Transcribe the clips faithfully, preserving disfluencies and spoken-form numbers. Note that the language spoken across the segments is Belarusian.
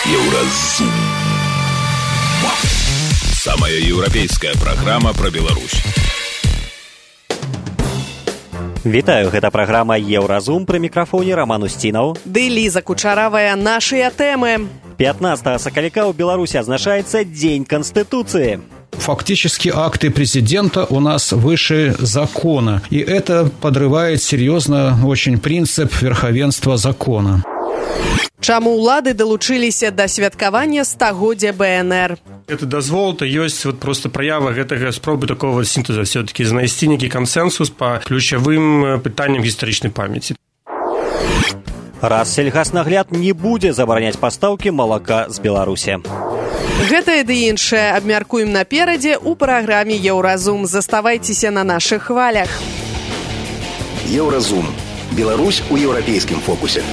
Еўразум. Самая еўрапейская праграма пра Беларусь. Вітаю, гэта праграма Еўразум, пры мікрафоне Роман Устінаў. Ды Ліза Кучаравая, нашыя тэмы. пятнадцатого сакавіка ў Беларусі адзначаецца Дзень Конституции. Фактически акты президента у нас выше закона, и это подрывает серьезно очень принцип верховенства закона. Чаму ўлады далучыліся да святкавання стагоддзя бэ эн эр? Это дазвол, то ёсць вот просто праява гэтага спробы такого сінтэза все-таки знайсці нейкі кансенсус па ключавым пытанням гістарычнай памяці. Рассельгаснагляд не будзе забараняць пастаўкі малака з Беларусі. Гэтае ды іншае абмяркуем наперадзе ў праграме Еўразум. Заставайцеся на нашых хвалях. Еўразум. Беларусь у еўрапейскім фокусе.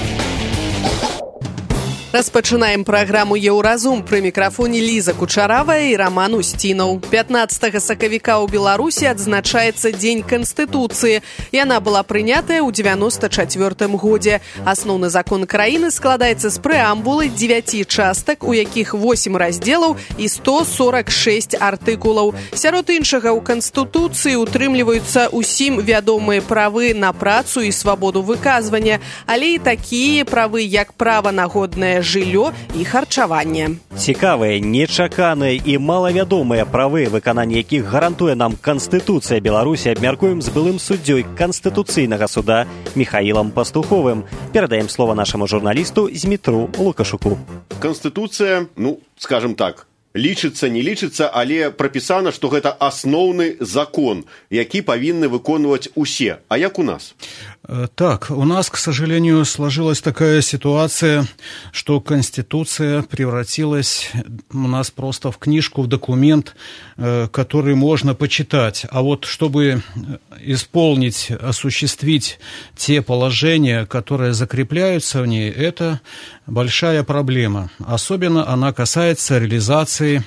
Распачынаем праграму Еўразум. Пры мікрафоне Ліза Кучаравая і Роман Устінаў. пятнадцатого сакавіка ў Беларусі адзначаецца Дзень Канстытуцыі. Яна была прынятая ў дзевяносто чацвёртым годзе. Асноўны закон краіны складаецца з прэамбулы дзевяці частак, у якіх восем раздзелаў і сто сорок шесть артыкулаў. Сярод іншага, ў Канстытуцыі утрымліваюцца ўсім вядомыя правы на працу і свабоду выказвання, але і такія правы, як права на годнае жыллё і харчаванне. Цікавыя, нечаканыя і малавядомыя правы, выкананне якіх гарантуе нам Канстытуцыя Беларусі, абмяркуем з былым суддзёй Канстытуцыйнага суда Михаилом Пастуховым. Перадаем слово нашаму журналісту Змітру Лукашуку. Канстытуцыя, ну, скажем так, лічыцца, не лічыцца, але прапісана, што гэта асноўны закон, які павінны выконваць усе. А як у нас? Так, у нас, к сожалению, сложилась такая ситуация, что Конституция превратилась у нас просто в книжку, в документ, который можно почитать. А вот чтобы исполнить, осуществить те положения, которые закрепляются в ней, это большая проблема. Особенно она касается реализации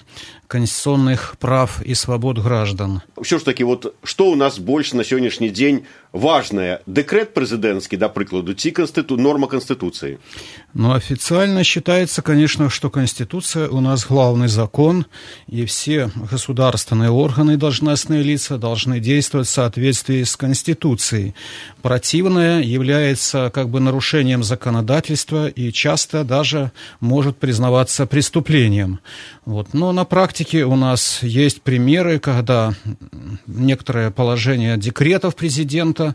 конституционных прав и свобод граждан. Все ж таки, вот что у нас больше на сегодняшний день важное? Декрет президентский, да, прикладу, ці конститу... норма Конституции? Ну, официально считается, конечно, что Конституция у нас главный закон, и все государственные органы, должностные лица должны действовать в соответствии с Конституцией. Противное является как бы нарушением законодательства и часто даже может признаваться преступлением. Вот. Но на практике у нас есть примеры, когда некоторые положения декретов президента,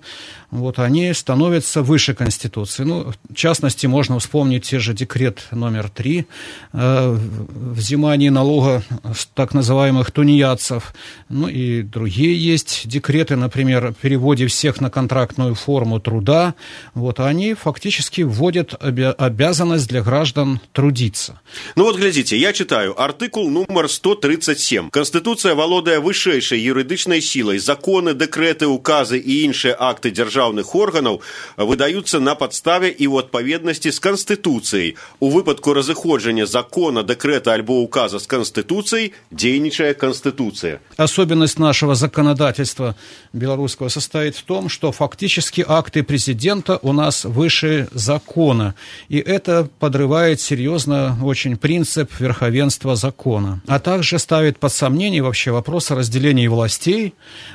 вот, они становятся выше Конституции. Ну, в частности, можно вспомнить те же декрет номер три, э, взимание налога с так называемых тунеядцев, ну и другие есть декреты, например, о переводе всех на контрактную форму труда. Вот, они фактически вводят обя- обязанность для граждан трудиться. Ну вот, глядите, я читаю артикул номер сто тридцать семь. Конституция валодае вышэйшай юрыдычнай сілай. Законы, дэкрэты, указы і іншыя акты дзяржаўных органаў выдаюцца на падставе і ў адпаведнасці з Конституцыяй. У выпадку разыходжання закона, дэкрэта альбо указа с Конституцией дзейнічае Конституция. Особенность нашего законодательства белорусского состоит в том, что фактически акты президента у нас выше закона. И это подрывает серьезно очень принцип верховенства закона. А также ставит под сомнение вообще вопрос о разделении властей,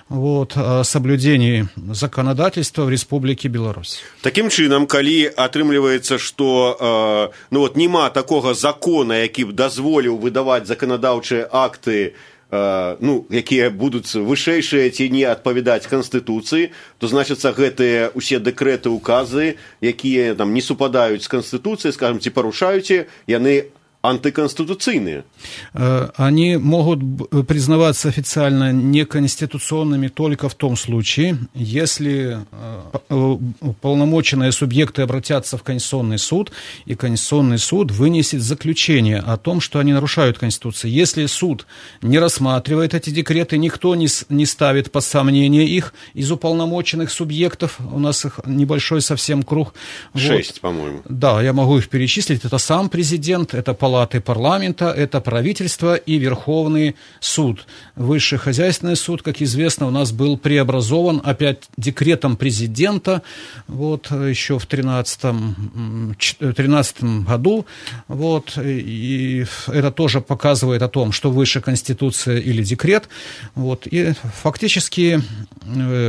вот, о соблюдении законодательства в Республике Беларусь. Таким чынам, калі атрымліваецца, што э, ну вот нема такога закона, які б дазволіў выдаваць заканадаўчыя акты, э, ну, якія будуць вышэйшыя ці не адпавядаць Канстытуцыі, то значыцца гэтыя усе дэкрэты, указы, якія там не супадаюць з Канстытуцыяй, скажем, ці парушаюць, яны антиконституционные. Они могут признаваться официально неконституционными только в том случае, если уполномоченные субъекты обратятся в Конституционный суд, и Конституционный суд вынесет заключение о том, что они нарушают Конституцию. Если суд не рассматривает эти декреты, никто не, не ставит под сомнение их из уполномоченных субъектов, у нас их небольшой совсем круг. Шесть, вот. по-моему. Да, я могу их перечислить. Это сам президент, это палата палаты парламента, это правительство и Верховный суд. Высший хозяйственный суд, как известно, у нас был преобразован опять декретом президента вот, еще в тринадцатом году. Вот, и это тоже показывает о том, что выше Конституция или декрет. Вот, и фактически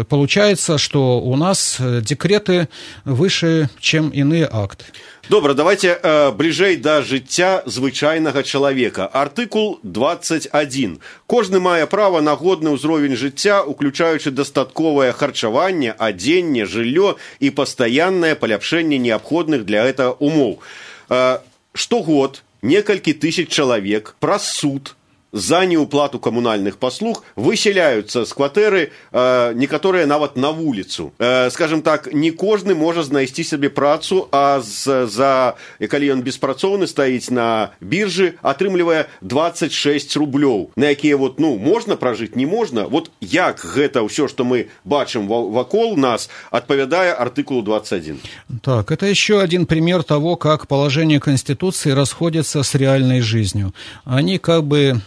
получается, что у нас декреты выше, чем иные акты. Добра, давайте э, бліжэй да жыцця звычайнага чалавека. Артыкул двадцать один. Кожны мае права на годны ўзровень жыцця, уключаючы дастатковае харчаванне, адзенне, жыллё і пастаяннае паляпшэнне неабходных для гэтага умоў. Э, штогод некалькі тысяч чалавек праз суд за неуплату коммунальных послуг выселяются с кватэры, э, некаторыя нават на вуліцу. Э, скажем так, не кожны можа знайсці сабе працу, а з, за, калі ён беспрацоўны стаіць на біржы, атрымлівае двадцать шесть рублёў, на якія вот, ну, можна пражыць, не можна. Вот як гэта ўсё, што мы бачым вакол нас, адпавядае артыкулу двадцать один. Так, это еще один пример того, как положение Конституции расходится с реальной жизнью. Они как бы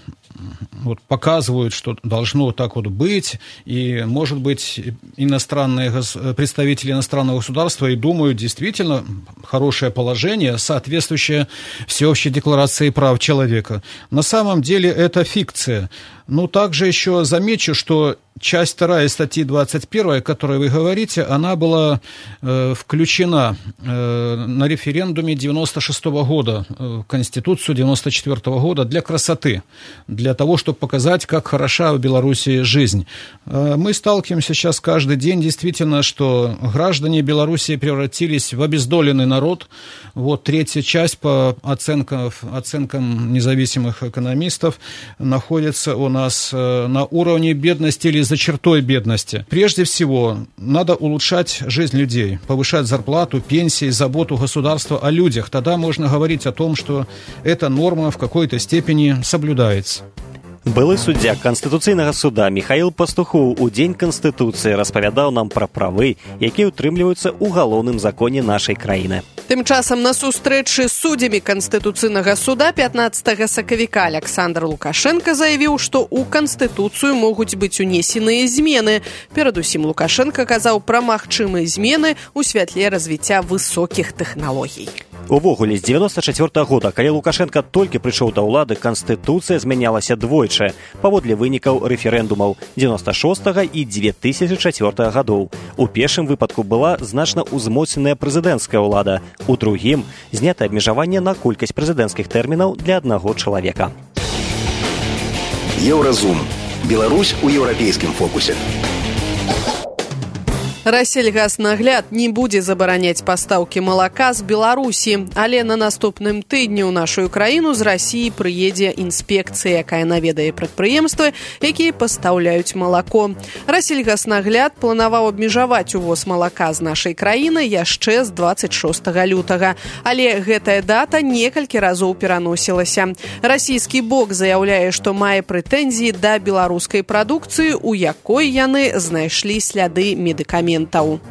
вот показывают, что должно так вот быть, и, может быть, иностранные представители иностранного государства и думают, действительно, хорошее положение, соответствующее Всеобщей декларации прав человека. На самом деле это фикция. Ну, также еще замечу, что часть вторая статьи двадцать первой, о которой вы говорите, она была э, включена э, на референдуме девяносто шестого года, в Конституцию девяносто четвёртого года для красоты, для того, чтобы показать, как хороша в Беларуси жизнь. Э, мы сталкиваемся сейчас каждый день, действительно, что граждане Беларуси превратились в обездоленный народ. Вот третья часть по оценкам, оценкам независимых экономистов находится у нас на уровне бедности или за чертой бедности. Прежде всего, надо улучшать жизнь людей, повышать зарплату, пенсии, заботу государства о людях. Тогда можно говорить о том, что эта норма в какой-то степени соблюдается. Былы суддзя Канстытуцыйнага суда Михаил Пастухоў у дзень Канстытуцыі распавядаў нам пра правы, якія ўтрымліваюцца ў галоўным законе нашай краіны. Тым часам на сустрэчы з суддзямі Канстытуцыйнага суда пятнадцатага сакавіка Александр Лукашенко заявіў, што ў Канстытуцыю могуць быць унесеныя змены. Перадусім Лукашенко казаў пра магчымыя змены ў святле развіцця высокіх тэхналогій. Увогуле, з девяносто четвёртого года, калі Лукашенко толькі прыйшоў да ўлады, Канстытуцыя змянялася двойчы, паводле вынікаў рэферэндумаў девяносто шестого і две тысячи четвёртого гадоў. У першым выпадку была значна ўзмоцненая прэзідэнцкая ўлада, у другім знята абмежаванне на колькасць прэзідэнцкіх тэрмінаў для аднаго чалавека. Еўразум. Беларусь у еўрапейскім фокусе. Рассельгаснагляд не будзе забараняць пастаўкі малака з Беларусі, але на наступным тыдні ў нашу краіну з Расіі прыедзе інспекцыя, якая наведае прадпрыемствы, якія пастаўляюць малако. Рассельгаснагляд планаваў абмежаваць увоз малака з нашай краіны яшчэ з двадцать шестого лютага, але гэтая дата некалькі разоў пераносілася. Расійскі бок заяўляе, што мае прэтэнзіі да беларускай прадукцыі, у якой яны знайшлі сляды медыкаментаў.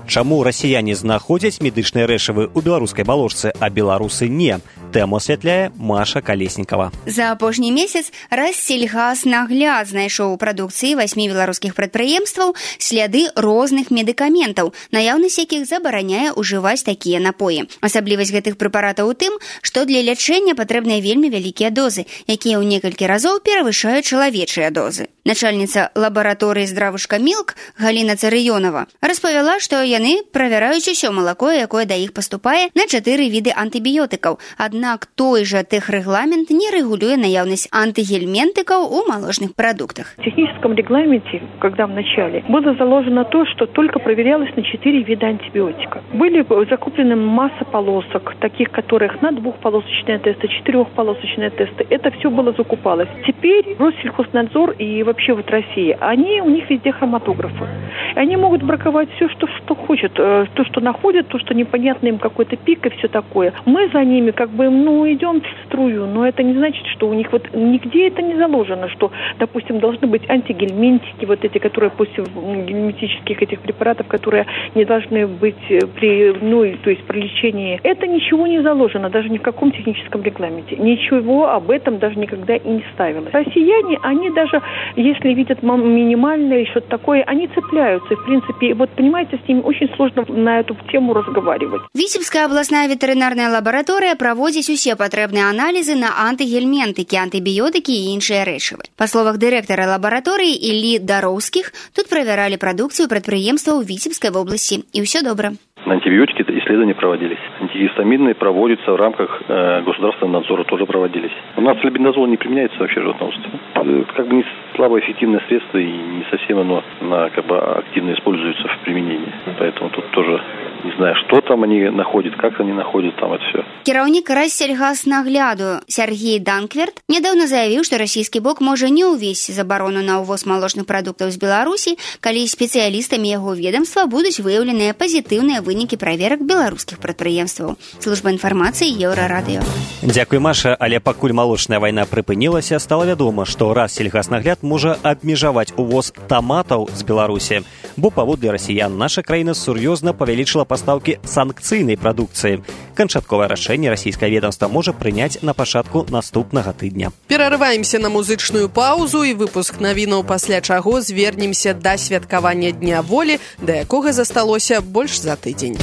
Чаму расіяне знаходзяць медычныя рэчывы ў беларускай балошцы, а беларусы не? Тэму асвятляе Маша Калеснікава. За апошні месяц Рассельгаснагляд знайшоў у прадукцыі васьмі беларускіх прадпрыемстваў сляды розных медыкаментаў, наяўнасць якіх забараняе ўжываць такія напоі. Асаблівасць гэтых прэпаратаў у тым, што для лячэння патрэбныя вельмі вялікія дозы, якія ў некалькі разоў перавышаюць чалавечыя дозы. Начальніца лабараторыі здравушка Мілк Галіна Царыёнова распавяла, што яны правяраюць усё малако, якое да іх паступае, на чатыры віды антыбіётыкаў. Аднак той жа тэхрэгламент не рэгулюе наяўнасць антигельминтиков у молочных продуктах. В техническом регламенте, когда в начале, было заложено то, что только проверялось на четыре вида антибиотика. Были закуплены масса полосок, таких которых на двухполосочные тесты, четырехполосочные тесты. Это все было закупалось. Теперь Россельхознадзор и вообще вот Россия, они, у них везде хроматографы. Они могут браковать все, что, что хочет. То, что находят, то, что непонятно им какой-то пик и все такое. Мы за ними как бы ну, идем в струю, но это не значит, что у них вот нигде это не заложено, что, допустим, должны быть антигельминтики, вот эти, которые после гельминтических этих препаратов, которые не должны быть при, ну, то есть при лечении. Это ничего не заложено, даже ни в каком техническом регламенте. Ничего об этом даже никогда и не ставилось. Россияне, они даже, если видят минимальное что-то такое, они цепляются. И, в принципе, вот, понимаете, с ними очень сложно на эту тему разговаривать. Витебская областная ветеринарная лаборатория праводзіць усе патрэбныя аналізы на антыгельментыкі, антыбіётыкі і іншыя рэчывы. Па словах дырэктара лабараторыі Іллі Дароўскіх, тут правяралі прадукцыю прадпрыемстваў Витебской области, и все добро. На антибиотики исследования проводились. Антигистаминные проводятся в рамках э, государственного надзора, тоже проводились. У нас флебендазол не применяется вообще в животноводстве. Как бы не слабоэффективное средство и не совсем оно на, как бы активно используется в применении. Поэтому тут тоже не знаю, что там они находят, как они находят там это все. Кіраўнік Рассельгаснагляду Сергей Данкверт нядаўна заявіў, што расійскі бок можа не ўвесці забарону на ўвоз малочных прадуктаў з Беларусі, калі спецыялістамі яго ведомства будуць выяўленыя пазітыўныя вынікі праверак беларускіх прадпрыемстваў. Служба інфармацыі Еўрарадыё. Дзякуй, Маша, але пакуль малочная вайна прыпынілася, стала вядома, што Рассельгаснагляд можа абмежаваць увоз таматаў з Беларусі, бо паводле расіян наша краіна сур'ёзна павялічыла пастаўкі санкцыйнай прадукцыі. Канчатковае рашэнне расійскае ведомства можа прыняць на пачатку наступнага тыдня. Перарываемся на музычную паузу і выпуск навінаў, пасля чаго звернемся да святкавання Дня волі, да якога засталося больш за тыдзень.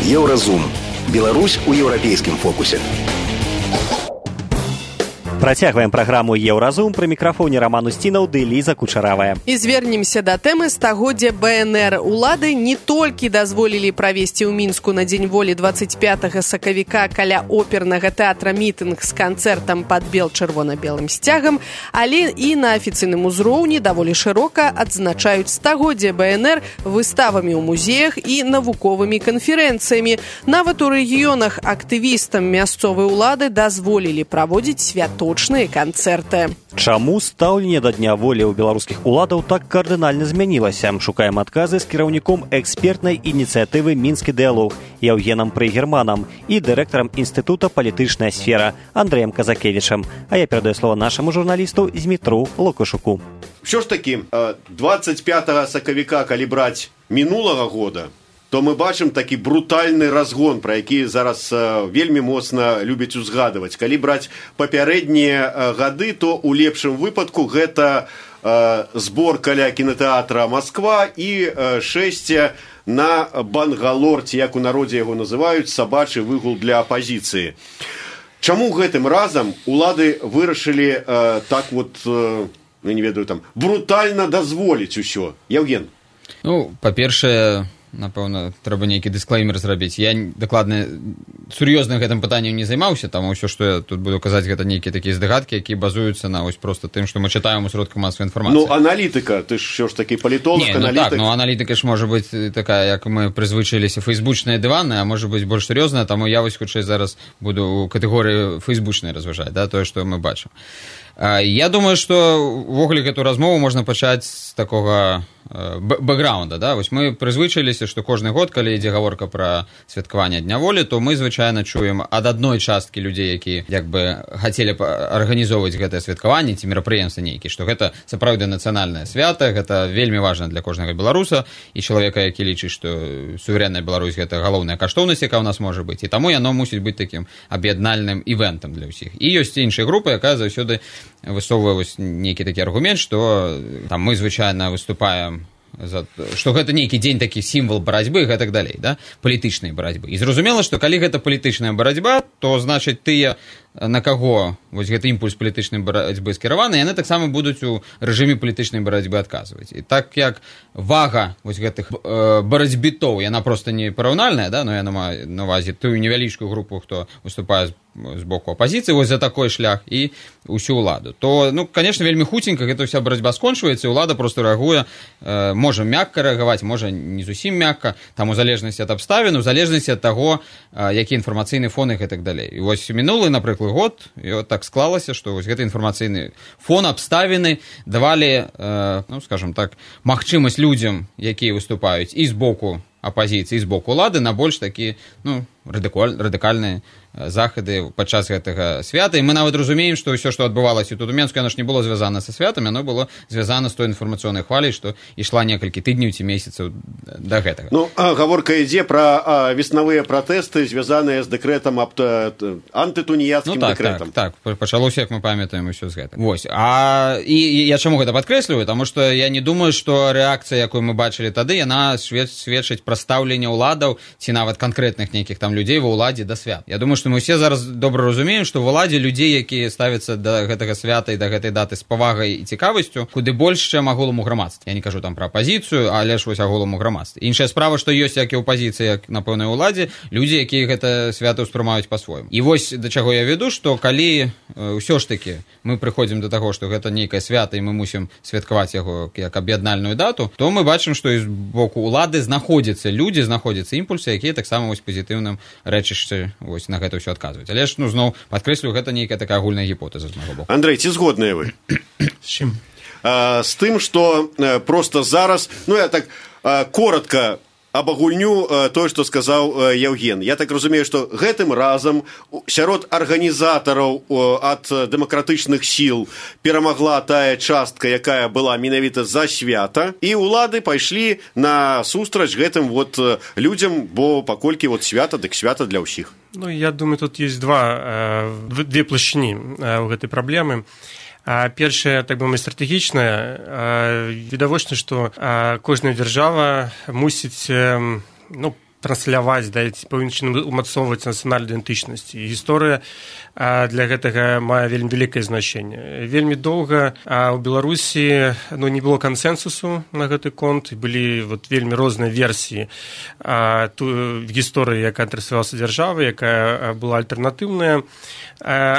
Еўразум. Беларусь у еўрапейскім фокусе. Працягваем праграму «Еўразум». Пры мікрафоне Роман Устінаў ды Ліза Кучаравая. І звернемся да тэмы стагоддзя бэ эн эр. Улады не толькі дазволілі правесці ў Мінску на Дзень волі дваццаць пятага сакавіка каля опернага тэатра мітынг з канцэртам пад бел-чырвона-белым сцягам, але і на афіцыйным узроўні даволі шырока адзначаюць стагоддзе бэ эн эр выставамі ў музеях і навуковымі канферэнцыямі. Нават у рэгіёнах актывістам мясцовай улады дазволілі праводзіць свято канцэрты. Чаму стаўленне да Дня волі ў беларускіх уладаў так кардынальна змянілася? Шукаем адказы з кіраўніком экспертнай ініцыятывы «Мінскі дыялог» Яўгенам Прыгерманам і дырэктарам Інстытута «Палітычная сфера» Андрэем Казакевічам. А я перадаю слово нашаму журналісту Змітру Лукашуку. Що ж таки, двадцать пятага сакавіка, калі браць мінулага года, то мы бачым такі брутальны разгон, пра які зараз э, вельмі моцна любяць узгадываць. Калі браць папярэднія э, гады, то ў лепшым выпадку гэта э, збор каля кінотэатра «Москва» і э, шэсце на Бангалор, ці як у народзе яго называюць, сабачы выгул для апазіцыі. Чаму гэтым разам улады вырашылі э, так вот, э, я не ведаю, там, брутальна дазволіць усё? Яўген? Ну, па-першае, напэўна, трэба нейкі дысклеймер зрабіць. Я дакладна сур'ёзна гэтым пытаннем не займаўся, таму ўсё, што я тут буду казаць, гэта нейкія такія здагадкі, якія базуюцца на ось просто тым, што мы чытаем у сродках масавай інфармацыі. Ну, аналітыка, ты ж ўсё ж такі палітолог, не, ну аналітык. Так, ну аналітыка ж можа быць такая, як мы прызвычаіліся, фейсбучная дыванная, а можа быць больш сур'ёзная, таму я вось хутчэй зараз буду ў катэгорыі фейсбучнай разважаць, да, тое, што мы бачым. Я думаю, што ўвогуле гэту размову можна пачаць з такога бэкграунда, да? Вось мы прызвычаіліся, што кожны год, калі ідзе гаворка пра святкаванне Дня волі, то мы звычайна чуем ад адной часткі людзей, які як бы хацелі арганізоўваць гэтае святкаванне ці мерапрыемства нейкі, што гэта сапраўды нацыянальнае свята, гэта вельмі важна для кожнага беларуса і чалавека, які лічыць, што суверэнная Беларусь гэта галоўная каштоўнасць, якая ў нас можа быць, і таму яно мусіць быць такім аб'яднальным івентам для ўсіх. І ёсць іншая група, якая заўсёды высоўвае нейкі такі аргумент, што там мы звычайна выступаем за, што гэта нейкі дзень такі сімвал барацьбы і гэтак далей, да? Палітычнай барацьбы. І зразумела, што калі гэта палітычная барацьба, то значыць тыя, на каго вось гэты імпульс палітычнай барацьбы скіраваны, яны таксама будуць у рэжыме палітычнай барацьбы адказваць. І так як вага вось гэтых э, барацьбітоў, яна проста не параўнальная, да? Но яна мае на увазе тую невялічкую групу, хто выступае з з боку апазіцыі вось за такой шлях і ўсю ўладу, то, ну, конечно, вельмі хуценька гэта вся барацьба скончваецца, і ўлада просто рэагуе, э, можа мякка рэагаваць, можа не зусім мякка, там у залежнасці ад абставін, у залежнасці ад таго, э, які інфармацыйны фон і гэтак далей. І вось мінулы, напрыклад, год, і от так склалася, што вось гэты інфармацыйны фон, абставіны давалі, э, ну, скажем так, магчымасць людзям, якія выступаюць і з боку апазіцыі, і з боку улады, на больш такі, ну, радыкальныя захады падчас гэтага свята, і мы нават разумеем, што ўсё, што адбывалася тут у Менску, яно ж не было звязана са святамі, яно было звязана з той інфармацыйнай хваляй, што ішла некалькі тыдняў ці месяцаў да гэтага. Ну, гаворка ідзе пра веснавыя пратэсты, звязаныя з дэкрэтам аб антытуніяцкім ну, так, дэкрэтам. Так, так, пачалося, як мы памятаем, усё з гэтым. Вось. А і я чаму гэта падкрэсліваю? Таму што я не думаю, што рэакцыя, якую мы бачылі тады, яна сведчыць пра стаўленне ўладаў ці нават канкрэтных нейкіх там людзей ва ўладзе да свят. Я думаю, што мы ўсе зараз добра разумеем, што ва ўладзе людзей, якія ставяцца да гэтага свята і да гэтай даты з павагай і цікавасцю, куды больш, чым агулам у грамадстве. Я не кажу там пра апазіцыю, але ж вось агулам у грамадстве. Іншая справа, што ёсць як і апазіцыя, як на пэўнай уладзе, людзі, якія гэта свята ўспрымаюць па-свойму. І вось да чаго я веду, што калі ўсё ж такі мы прыходзім да таго, што гэта нейкае свята і мы мусім святкаваць яго як аб'яднальную дату, то мы бачым, што з боку улады знаходзяцца людзі, знаходзяцца імпульсы, якія таксама вось пазітыўным рэчышча вось на гэта ўсё адказваюць. Але ж, ну, зноў, падкрэслю, гэта нейкая такая агульная гіпотэза з майго боку. Андрэй, ці згодныя вы? З чым? А, з тым, што проста зараз, ну, я так а, коротка абагульню тое, што сказаў Яўген. Я так разумею, што гэтым разам сярод арганізатараў ад дэмакратычных сіл перамагла тая частка, якая была менавіта за свята, і ўлады пайшлі на сустрач гэтым вот людзям, бо паколькі вот свята, дык свята для ўсіх. Ну, я думаю, тут есть два, две плашчыні ў гэтай праблемы. Першае, так бы мовіць, стратэгічнае, відавочна, што кожная дзяржава мусіць, ну, трансляваць, да, пэўным чынам умацоўваць нацыянальную ідэнтычнасць. І гісторыя для гэтага мае вельмі вялікае значэнне. Вельмі доўга ў Беларусі, ну, не было кансэнсусу на гэты конт, былі вот вельмі розныя версіі гісторыі, якая транслявалася дзяржавы, якая была альтэрнатыўная.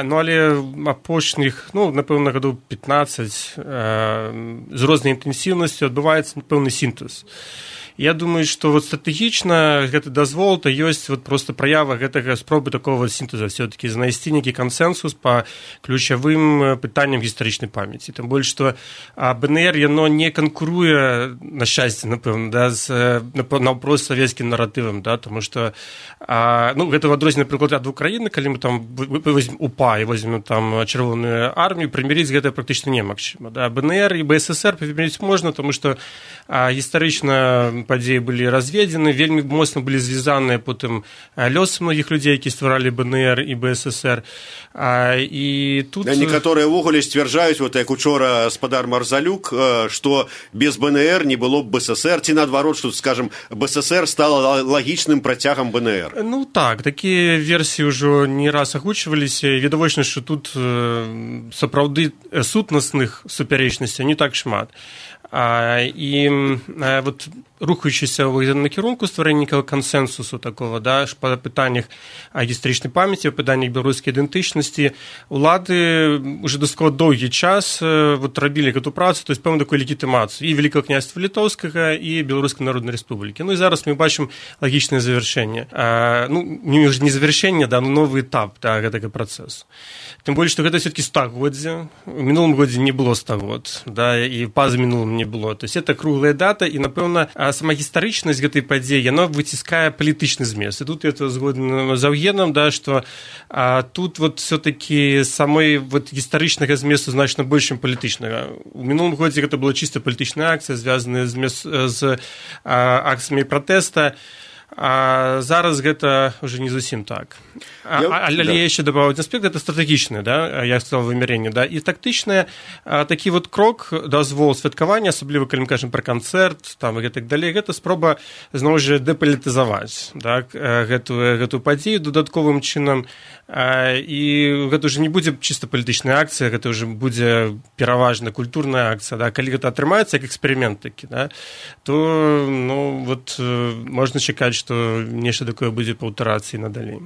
Ну, але апошніх, ну, напэўна, гадоў пятнаццаць з рознай інтэнсіўнасцю адбываецца пэўны сінтэз. Я думаю, што вот стратэгічна гэты дазвол, то ёсць вот просто праява гэтага спробы такого сінтэза, все-таки знайсці нейкі кансэнсус па ключавым пытанням гістарычнай памяці. Тым больш, што БНР, яно не канкуруе, на шчасце, напэўна, да, з наўпрост савецкім наратывам, да, тому што, ну, гэта в адрозненне, напрыклад, ад Украіны, калі мы там возьмем УПА і возьмем там чырвоную армію, прымірыць гэта практычна немагчыма. Да. БНР і БССР прымірыць можна, тому што гістарычна падзеі былі разведзены, вельмі моцна былі звязаныя потым лёсы многіх людзей, які стваралі БНР і БССР. А, і тут... Да, некаторыя ўвогуле сцвярджаюць, вот як учора спадар Марзалюк, што без БНР не было б БССР, ці наадварот, што, скажем, БССР стала лагічным працягам БНР. Ну так, такія версіі ўжо не раз агучваліся. Відавочна, што тут сапраўды сутнасных супярэчнасцяў не так шмат. А, і а, вот рухаючыся ў накірунку стварэння кансэнсусу такого, да, па пытаннях гістарычнай памяці, па пытаннях беларускай ідэнтычнасці, улады уже дастаткова доўгі час вот рабілі гэту працу, то есть пэўную такую легітымацыю і Великага княства Літоўскага і Беларускай Народнай Рэспублікі. Ну і зараз мы бачым лагічнае завяршэнне. А, ну, не завяршэнне, да, но новы этап, да, гэтага працэсу. Тым больш, што гэта все-таки стагоддзе. У мінулым годзе не было стагод, да, і па-за мінулым не было. То есть это круглая дата, і, напэўна, сама гістарычнасць гэтай падзеі, яна выціскае палітычны змест. І тут я згоден з Яўгенам, да, што а, тут вот все-таки самой вот гістарычнага зместу значна больш, чым палітычнага. У мінулым годзе гэта была чыста палітычная акцыя, звязаная з, з а, акцыямі пратэста. А зараз гэта уже не зусім так. А, але да. Я яшчэ дабавіў аспект, гэта стратэгічнае, да, я сказал, вымярэнне, да, і тактычнае, такі вот крок, дазвол святкавання, асабліва калі мы кажам пра канцэрт, там і гэтак далей, гэта спроба зноў жа дэпалітызаваць, так, гэтую гэтую падзею дадатковым чынам. І гэта ўжо не будзе чыста палітычная акцыя, гэта ўжо будзе пераважна культурная акцыя, да, калі гэта атрымаецца як эксперымент такі, да, то, ну, вот можна чакаць, што нешта такое будзе паўтарацца і надалей.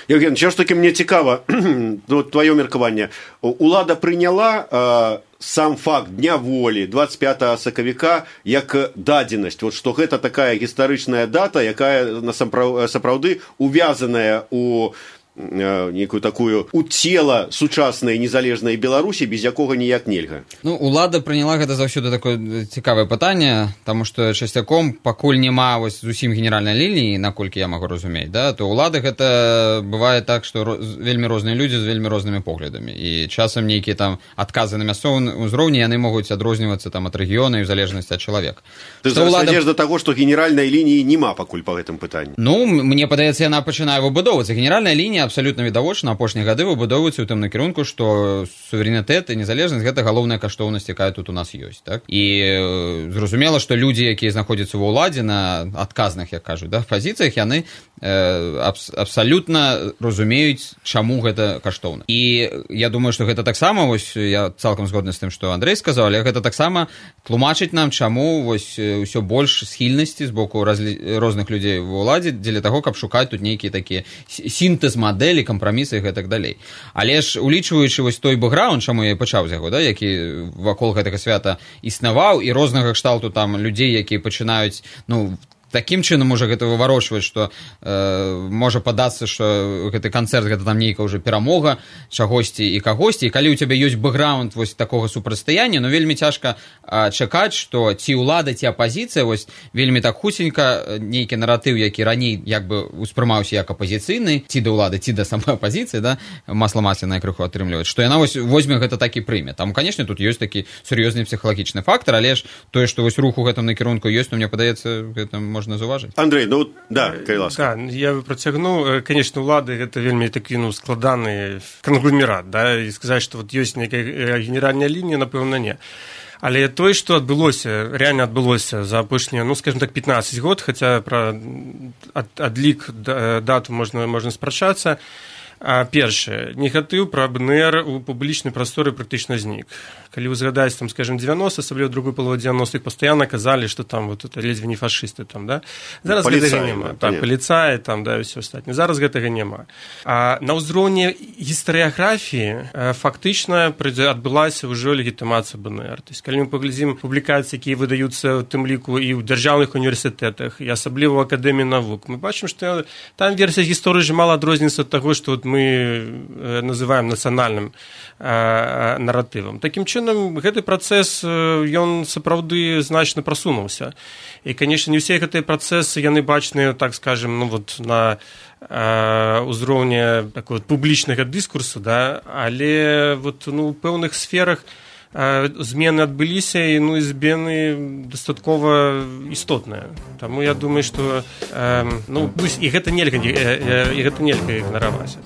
Яўген, що ж таки мне цікава, ну, твоё меркаванне. Улада прыняла э, сам факт Дня волі двадцать пятого сакавіка як дадзенасць, вот, што гэта такая гістарычная дата, якая сапраўды увязаная у некую такую у цела сучаснай незалежнай Беларусі, без якога ніяк нельга. Ну, улада прыняла гэта заўсёды такое цікавае пытанне, таму што часцяком пакуль няма вось зусім генеральнай лініі, наколькі я магу разумець, да, то улады гэта бывае так, што вельмі розныя людзі з вельмі рознымі поглядамі, і часам нейкія там адказы на мясцовым узроўні яны могуць адрознівацца там ад рэгіёна і ў залежнасці ад чалавека. Ты зайдзеш да таго, што генеральнай лініі няма пакуль па гэтым пытанні. Ну, мне падаецца, яна пачынае выбудоўвацца. Генеральная лінія абсалютна відавочна апошнія гады выбудоўваюцца ў тым накірунку, што суверэнітэт і незалежнасць гэта галоўная каштоўнасць, якая тут у нас ёсць, так? І зразумела, што людзі, якія знаходзяцца ва ўладзе на адказных, як кажуць, да, пазіцыях, яны э, абс абсалютна разумеюць, чаму гэта каштоўна. І я думаю, што гэта таксама, вось я цалкам згодны з тым, што Андрэй сказаў, але гэта таксама тлумачыць нам, чаму вось ўсё больш схільнасці з боку разли... розных людзей ва ўладзе дзеля таго, каб шукаць тут нейкія такія сінтэз мадэлі, кампрамісы і гэтак далей. Але ж улічваючы вось той бэкграунд, чаму я і пачаў з яго, да, які вакол гэтага свята існаваў, і рознага кшталту там людзей, якія пачынаюць, ну, такім чынам можа гэта выварочваць, што э, можа падацца, што гэты канцэрт гэта там нейкая ўжо перамога чагосьці і кагосьці, і калі ў цябе ёсць бэкграунд вось такога супрацьстаяння, ну вельмі цяжка э, чакаць, што ці ўлада, ці апазіцыя вось вельмі так хутенька нейкі наратыў, які раней як бы успрымаўся як апазіцыйны, ці да ўлады, ці да самой апазіцыі, да, масла масляное крыху атрымліваць, што яна вось возьме гэта так і прыме. Там, канешне, тут ёсць такі сур'ёзны псіхалагічны фактар, але ж тое, што вось рух у гэтым накірунку ёсць, ну мне падаецца, гэта можна заўважыць. Андрей, ну да, калі ласка. Да, я працягну, конечно, улады гэта вельмі такі, ну, складаны кангломерат, да, і сказаць, што вот ёсць нейкая генеральная лінія, напэўна, не. Але тое, што адбылося, рэальна адбылося за апошнія, ну, скажем так, пятнаццаць год, хаця пра ад, адлік дату можна, можна спрачацца. А першае, негатыў пра БНР у публічнай прасторы практычна знік. Калі вы згадаеце, там, скажем, девяностые, асабліва другой паловы девяностых, пастаянна казалі, што там вот это ледзьве не фашысты там, да? Зараз Полицай, гэтага няма. Да, так, паліцаі там, да, і ўсё астатняе. Зараз гэтага няма. А на ўзроўні гістарыяграфіі фактычна адбылася ўжо легітымацыя БНР. То есть, калі мы паглядзім публікацыі, якія выдаюцца ў тым ліку і ў дзяржаўных універсітэтах, і асабліва ў акадэміі навук, мы бачым, што там версія гісторыі ж мала адрозніваецца ад таго, што мы называем нацыянальным э, наратывам. Такім чынам, гэты працэс, ён сапраўды значна прасунуўся. І, канешне, не ўсе гэтыя працэсы, яны бачныя, так скажем, ну, вот, на э, ўзроўні такой публічнага дыскурсу, да, але вот, ну, у пэўных сферах змены адбыліся, і, ну, і змены дастаткова істотныя. Таму я думаю, што э, ну, і гэта нельга, і гэта нельга ігнараваць.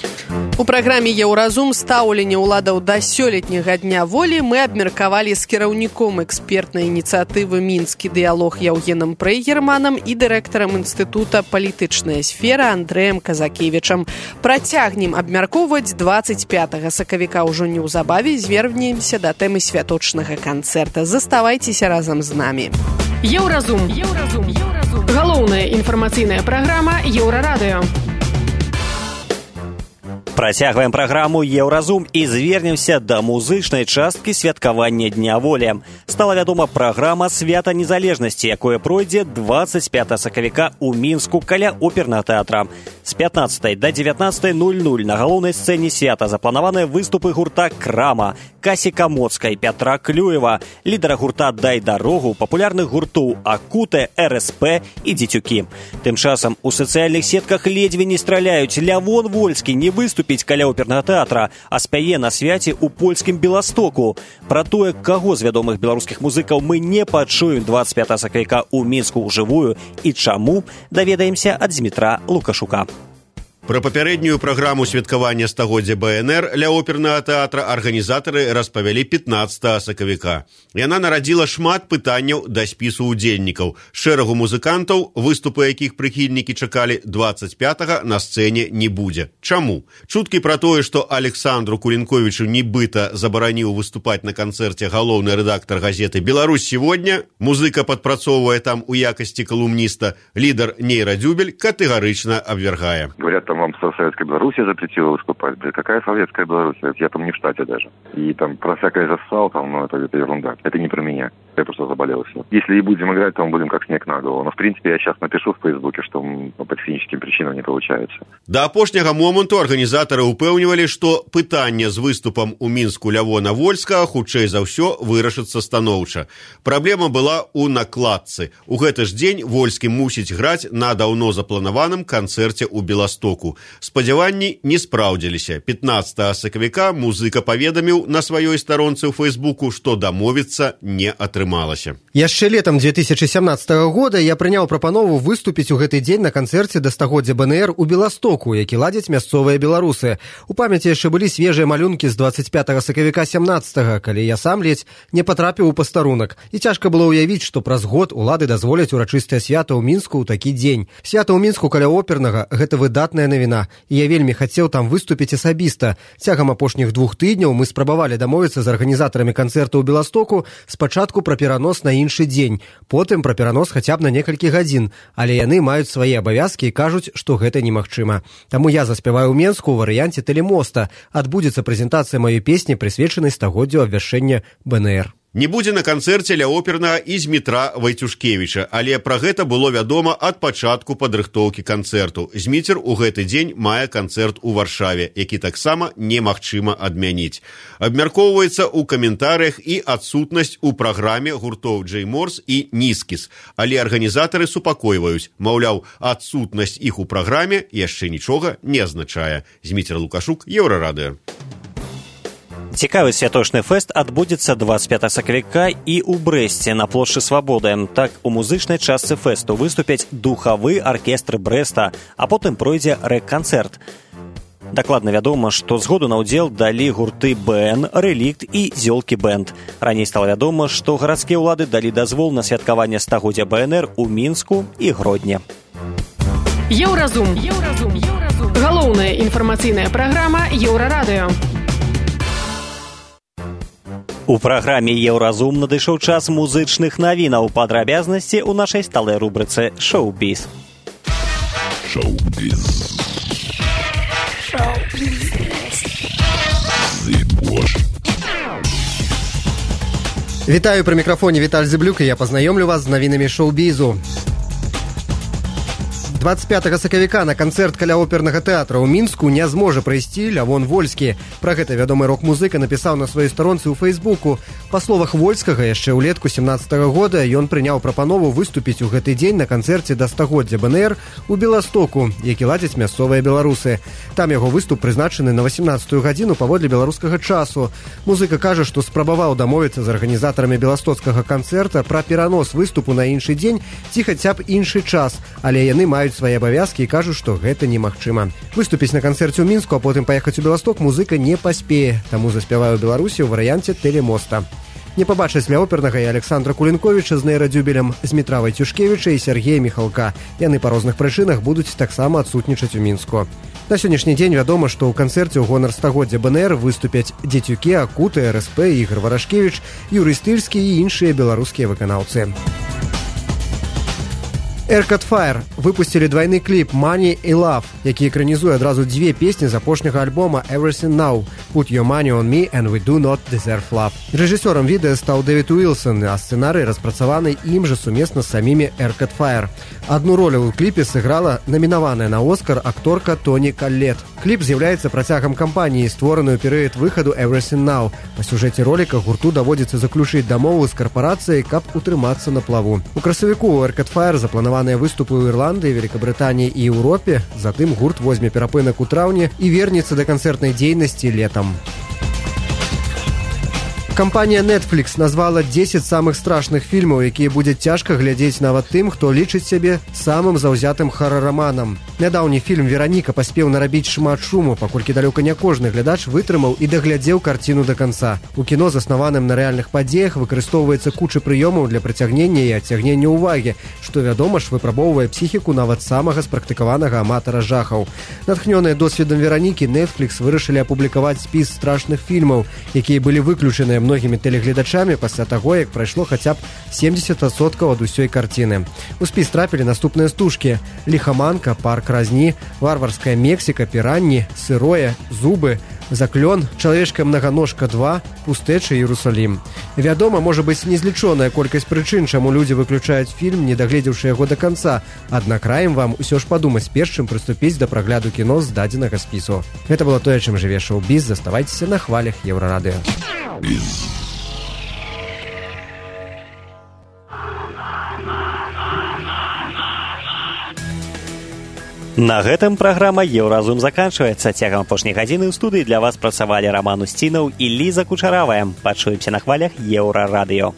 У праграме «Еўразум» стаўленне ўладаў да сёлетняга дня волі мы абмеркавалі з кіраўніком экспертнай ініцыятывы «Мінскі дыялог» Яўгенам Прейгерманам і дырэктарам інстытута «Палітычная сфера» Андрэем Казакевічам. Працягнем абмяркоўваць дваццаць пятага сакавіка ўжо неўзабаве, звернемся да тэмы святочнага канцэрта. Заставайцеся разам з намі. Еўразум. Еўразум. Еўразум. Галоўная інфармацыйная праграма Еўрарадыё. Працягваем праграму «Еўразум» і звернемся да музычнай часткі святкавання Дня волі. Стала вядома праграма «Свята незалежнасці», якое пройдзе дваццаць пятага сакавіка ў Мінску каля опернага тэатра. З пятнаццатай да дзевятнаццатай нуль-нуль на галоўнай сцэне свята запланаваныя выступы гурта «Крама», Касі Камоцкай, Пятра Клюева, лідара гурта «Дай дарогу», папулярных гуртоў «Акуте», эр эс пэ і «Дзецюкі». Тым часам у сацыяльных сетках ледзьве не страляюць. Лявон Вольскі не выступіць каля опернага тэатра, а спяе на свяце ў польскім Беластоку. Пра тое, каго з вядомых беларускіх музыкаў мы не пачуем дваццаць пятага сакавіка ў Мінску ўжывую і чаму, даведаемся ад Змітра Лукашука. Пра папярэднюю праграму святкавання стагоддзя бэ эн эр ля опернага тэатра арганізатары распавялі пятнаццатага сакавіка. Яна нарадзіла шмат пытанняў да спісу удзельнікаў. Шэрагу музыкантаў, выступы якіх прыхільнікі чакалі дваццаць пятага, на сцэне не будзе. Чаму? Чуткі пра тое, што Александру Кулінковічу нібыта забараніў выступаць на канцэрце галоўны рэдактар газеты «Беларусь сегодня», музыка падпрацоўвае там у якасці калумніста, лідар Нейра Дзюбель катэгарычна абвяргае. Говорят, там вам Советская Белоруссия запретила выступать. Блин, какая Советская Белоруссия? Я там не в штате даже. И там про всякое засал, там, ну, это, это ерунда. Это не про меня. Я просто заболел и все. Если и будем играть, то мы будем как снег на голову. Но, в принципе, я сейчас напишу в Фейсбуке, что по техническим причинам не получается. Да апошняга моманту арганізатары упэўнівалі, што пытанне з выступам у Мінску Лявона Вольскага хутчэй за ўсё вырашыцца станоўча. Праблема была ў накладцы. У гэты ж дзень Вольскі мусіць граць на даўно запланаваным канцэрце ў Беластоку. Спадзяванні не спраўдзіліся. пятнаццатага сакавіка музыка паведаміў на сваёй старонцы ў Фейсбуку, што дамовіцца не атрымалася. Яшчэ летам две тысячи семнадцатого года я прыняў прапанову выступіць у гэты дзень на канцэрце да стагоддзя БНР у Беластоку, які ладзяць мясцовыя беларусы. У памяці яшчэ былі свежыя малюнкі з двадцать пятого сакавіка семнадцатого, калі я сам ледзь не патрапіў у пастарунак. І цяжка было ўявіць, што праз год улады дазволяць урачыстае свята ў Мінску ў такі дзень. Свята ў Мінску каля опернага – гэта выдатная навіна. І я вельмі хацеў там выступіць асабіста. Цягам апошніх двух тыдняў мы спрабавалі дамовіцца з арганізатарамі канцэрта ў Беластоку спачатку пра перанос на іншы дзень, потым пра перанос хаця б на некалькі гадзін, але яны маюць свае абавязкі і кажуць, што гэта немагчыма. Таму я заспяваю ў Менску ў варыянце тэлемоста. Адбудзецца прэзентацыя маёй песні, прысвечанай стагоддзю абвяшчэння БНР. Не будзе на канцэрце ля опернага і Змітра Вайцюшкевіча, але пра гэта было вядома ад пачатку падрыхтоўкі канцэрту. Зміцер у гэты дзень мае канцэрт у Варшаве, які таксама немагчыма адмяніць. Абмяркоўваецца ў каментарыях і адсутнасць у праграме гуртоў Джей Морс і Нискіс, але арганізатары супакойваюць, маўляў, адсутнасць іх у праграме яшчэ нічога не азначае. Зміцер Лукашук, Еўрарадыё. Цікавы святочны фэст адбудзецца двадцать пятого сакавіка і ў Брэсце на плошчы Свабоды. Так, у музычнай частцы фэсту выступяць духавы аркестр Брэста, а потым пройдзе рэк-канцэрт. Дакладна вядома, што згоду на ўдзел далі гурты БН, Рэлікт і Зёлкі Бэнд. Раней стала вядома, што гарадскія ўлады далі дазвол на святкаванне стагоддзя БНР у Мінску і Гродні. Еўразум. Еўразум. Еўразум. Галоўная інфармацыйная праграма Еўрарадыё. У праграме «Еўразум» надышоў час музычных навінаў. Падрабязнасці ў нашай сталай рубрыцы «Шоу-біз». Шоу-біз. Шоу-біз. Вітаю, пры мікрафоне Віталь Зыблюк, і я пазнаёмлю вас з навінамі шоу-бізу. двадцать пятого сакавіка на канцэрт каля опернага тэатра ў Мінску не зможа прыйсці Лявон Вольскі. Пра гэта вядомы рок-музыка напісаў на сваёй старонцы ў Фейсбуку. Па словах Вольскага, яшчэ ўлетку семнадцатага года ён прыняў прапанову выступіць у гэты дзень на канцэрце да стагоддзя БНР у Беластоку, які ладзяць мясцовыя беларусы. Там яго выступ прызначаны на восемнадцатую гадзіну паводле беларускага часу. Музыка кажа, што спрабаваў дамовіцца з арганізатарамі беластоцкага канцэрта пра перанос выступу на іншы дзень ці хаця б іншы час, але яны маюць свае абавязкі і кажуць, што гэта немагчыма. Выступіць на канцэрце ў Мінску, а потым паехаць у Беласток музыка не паспее, таму заспяваю Беларусі ў варыянце тэлемоста. Не пабачаць ля опернага і Александра Кулінковіча з нейрадзюбелем, Змітра Вайцюшкевіча і Сергея Міхалка. Яны па розных прычынах будуць таксама адсутнічаць у Мінску. На сённяшні дзень вядома, што ў канцэрце ў гонар стагоддзя БНР выступяць Дзецюкі, Акуты, РСП, Ігор Варашкевіч, Юрый Стыльскі і іншыя беларускія выканаўцы. Arcade Fire выпусцілі двайны кліп «Money» і «Love», які экранізуе адразу дзве песні з апошняга альбома «Everything Now» «Put Your Money on Me and We Do Not Deserve Love». Рэжысёрам відэа стаў Дэвід Уилсон, а сцэнарый распрацаваны ім жа сумесна з самімі Arcade Fire. Адну ролю ў кліпе сыграла намінаваная на Оскар акторка Тоні Коллет. Кліп з'яўляецца працягам кампаніі, створаную перыяд выхаду «Everything Now». Па сюжэце роліка гурту даводзіцца заключыць дамову з карпарацыяй, каб утрымацца на плаву. У красавіку ў Arcade Fire запланаваныя выступы ў Ірландыі, Великабрытаніі і Еўропе. Затым гурт возьме перапынак у траўні і вернецца да канцэртнай дзейнасці летам. Кампанія Netflix назвала дзесяць самых страшных фільмаў, якія будзе цяжка глядзець нават тым, хто лічыць сябе самым заўзятым харараманам. Нядаўні фільм «Вераніка» паспеў нарабіць шмат шуму, паколькі далёка не кожны глядач вытрымаў і даглядзеў карціну да канца. У кіно, заснаваным на рэальных падзеях, выкарыстоўваецца куча прыёмаў для прыцягнення і адцягнення ўвагі, што, вядома ж, выпрабоўвае псіхіку нават самага спрактыкаванага аматара жахаў. Натхнёныя досведам «Веранікі», Netflix вырашылі апублікаваць спіс страшных фільмаў, якія былі выключаныя многімі тэлегледачамі пасля таго, як прайшло хаця б семьдесят адсоткаў ад усёй карціны. У спіс трапілі наступныя стужкі: «Лихоманка», «Парк разні», «Варварская Мексіка», «Піранні», «Сырое», «Зубы», «Заклён», «Чалавечка-многаножка два», «Пустэчы», «Іерусалім». Вядома, можа быць незлічоная колькасць прычын, чаму людзі выключаюць фільм, не дагледзеўшы яго да канца. Аднак раім вам усё ж падумаць перш чым прыступіць да прагляду кіно з дадзенага спісу. Гэта было тое, чым жыве шоу-біз. Заставайцеся на хвалях Еўрарадыё. На гэтым праграма «Еўразум» заканчваецца. Цягам апошняй гадзіны ў студыі для вас працавалі Раман Усцінаў і Ліза Кучаравая. Пачуемся на хвалях Еўрарадыё.